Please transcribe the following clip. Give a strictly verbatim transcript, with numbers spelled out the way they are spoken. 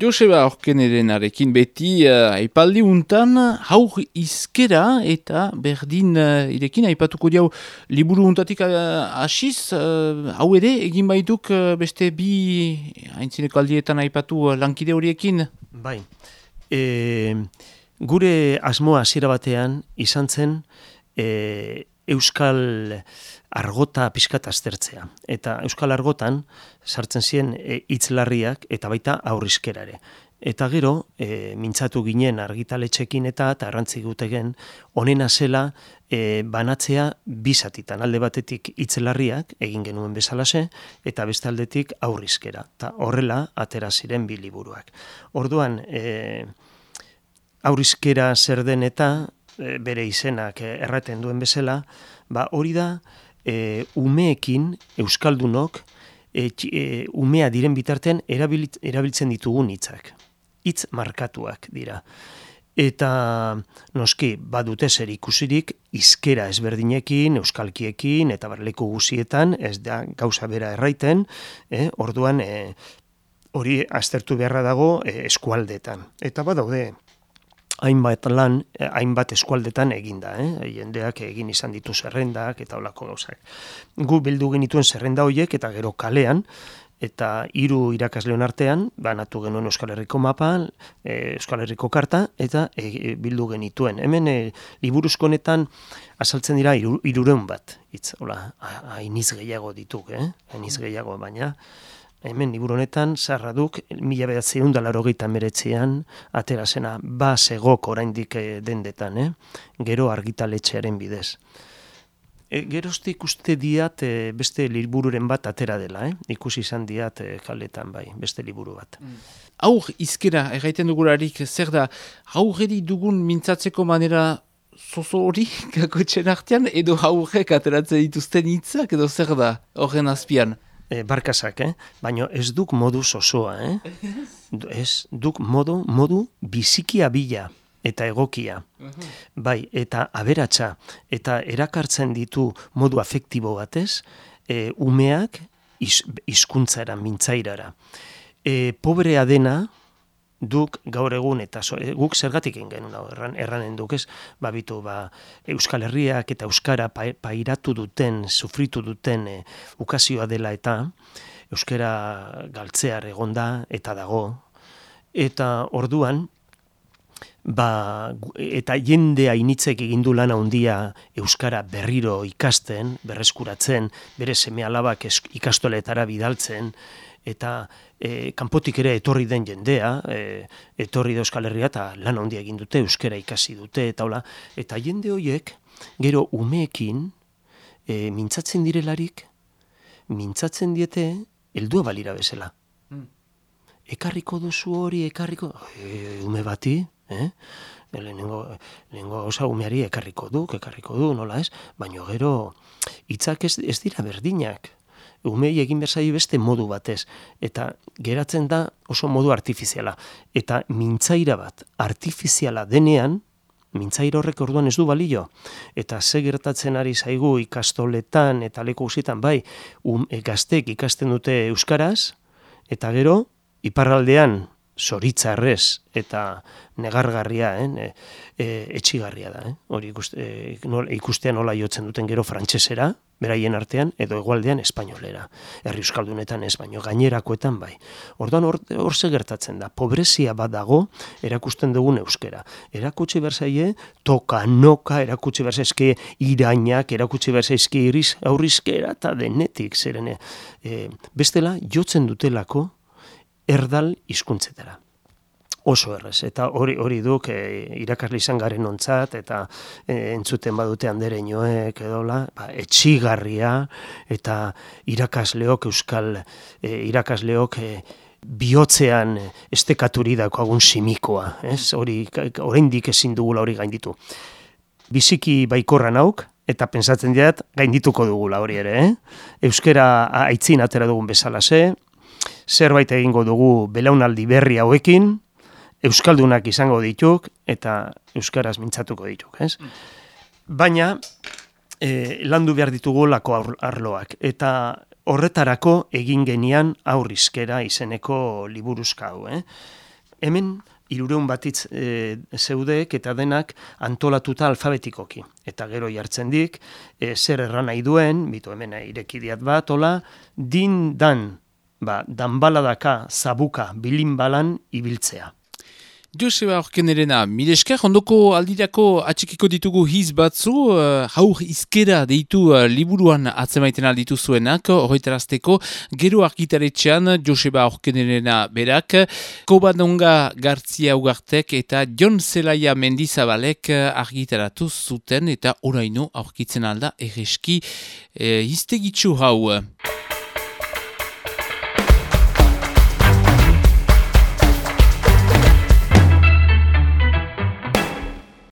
Joseba Orkenerenarekin beti uh, aipaldi untan haur izkera eta berdin uh, irekin aipatuko diau liburu untatik uh, asiz, uh, hau ere egin baituk uh, beste bi haintzineko aldietan aipatu uh, lankide horiekin? Bai, e, gure asmoa hasiera batean izan zen e, Euskal argota pixkat aztertzea. Eta Euskal argotan sartzen ziren hitzlarriak eta baita aurrizkera ere. Eta gero, e, mintzatu ginen argitaletxekin eta eta arrantzi gutegen honena zela e, banatzea bizatitan. Alde batetik hitzlarriak egin genuen bezalase eta beste aldetik aurrizkera. Eta horrela atera ziren bi liburuak. Orduan, e, aurrizkera zer den eta e, bere izenak erraten duen bezala, ba hori da e, umeekin euskaldunok e, e, umea diren bitartean erabil, erabiltzen ditugun hitzak. Hitz markatuak dira. Eta noski badute zer ikusirik hizkera ezberdinekin, euskalkiekin eta barleku guzietan, ez da gauza bera erraiten, eh? Orduan eh, hori aztertu beharra dago eh, eskualdetan. Eta badaude hainbat lan, hainbat eskualdetan eginda, eh? Jendeak egin izan ditu zerrendak eta holako gauzak. Gu bildu genituen zerrenda horiek eta gero kalean, eta hiru irakasleon artean, banatu genuen Euskal Herriko mapa, e, Euskal Herriko karta, eta e, bildu genituen. Hemen e, liburuzko honetan azaltzen dira iru, irureun bat, hitz, hola, hainiz gehiago dituk, eh? Hainiz gehiago, baina hemen liburu honetan zarra duk mila bederatziehun eta laurogeita hemeretzian atera zena ba zegok oraindik dendetan, eh? Gero argitaletxearen bidez. E, geroztik uste diat e, beste libururen bat atera dela, eh? Ikusi izan diat e, kaletan bai, beste liburu bat. Mm. Haur izkera, erraiten dugularik, zer da, haurreri dugun mintzatzeko manera zozo hori kakotxen artean, edo haurrek ateratzen dituzten hitzak, edo zer da, horren azpian? E, barkazak, eh? Baina ez duk modu zozoa, eh? Ez duk modu, modu bizikia bila eta egokia. Uh-huh. Bai, eta aberatsa, eta erakartzen ditu modu afektibo batez, e, umeak iz, izkuntzara, mintzairara. E, pobrea dena, duk gaur egun, eta so, e, guk zergatik genuen erran, erranen duk, ez? Ba, bitu, ba, Euskal Herriak eta Euskara pa, pairatu duten, sufritu duten e, ukazioa dela eta Euskara galtzear egonda eta dago. Eta orduan, ba, eta jende hainitzek egindu lana handia euskara berriro ikasten, berreskuratzen, bere seme alabak ikastoletara bidaltzen, eta e, kanpotik ere etorri den jendea, e, etorri da Euskal Herria eta lan handia egin dute, euskara ikasi dute, eta hola, eta jende horiek, gero umeekin, e, mintzatzen direlarik, mintzatzen diete, heldua balira bezala. Mm. Ekarriko duzu hori, ekarriko, e, ume bati, eh? Lehenengo, lehenengo osa umeari ekarriko du, ekarriko du, nola ez? Baina gero, hitzak ez, ez dira berdinak. Umei egin berzai beste modu batez. Eta geratzen da oso modu artifiziala. Eta mintzaira bat artifiziala denean, mintzaira horrek orduan ez du balio. Eta ze gertatzen ari zaigu ikastoletan eta leku guztietan, bai, um, gaztek ikasten dute euskaraz, eta gero, iparraldean, zoritzarrez eta negargarria, eh? e, etxigarria da. Eh? Hori ikuste, e, nol, ikustea nola jotzen duten gero frantsesera, beraien artean, edo hegoaldean espainolera. Herri euskaldunetan ez, baino gainerakoetan bai. Orduan hor, hor ze gertatzen da, pobrezia bat dago erakusten dugun euskera. Erakutsi berzaie, toka, noka, erakutsi berzaizke irainak, erakutsi berzaizke iriz, aurrizkera eta denetik, zeren e, bestela jotzen dutelako erdal hizkuntzetara. Oso errez, eta hori hori duk e, irakasle izan garen ontzat, eta e, entzuten badute andereñoek edola, ba, etxigarria, eta irakasleok, euskal e, irakasleok e, bihotzean estekaturi daukagun simikoa, ez? Hori, oraindik ezin dugula hori gainditu. Biziki baikorra nauk, eta pentsatzen diat gaindituko dugula hori ere, eh? Euskara aitzin atera dugun bezalase, zerbait egingo dugu belaunaldi berri hauekin, euskaldunak izango dituk, eta euskaraz mintzatuko dituk, ez? Baina, e, landu behar ditugu lako arloak, eta horretarako egin genian aurrizkera izeneko liburuzka hau, eh? hemen hirureun batitz e, zeudeek eta denak antolatuta alfabetikoki. Eta gero jartzen dik, e, zer erran nahi duen, bitu hemen irekidiat bat, hola, din dan, ba, danbaladaka, zabuka, bilinbalan ibiltzea. Joseba Orkenerena, mile esker, ondoko aldirako atxikiko ditugu hiz batzu, uh, haur izkera deitu uh, liburuan atzemaiten alditu zuenak, horretarazteko, gero argitaretxean Joseba Orkenerena berak, Kobadonga Gartzia Ugartek eta Jon Zelaia Mendizabalek argitaratu zuten eta oraino aurkitzen alda erreski eh, iztegitzu hau.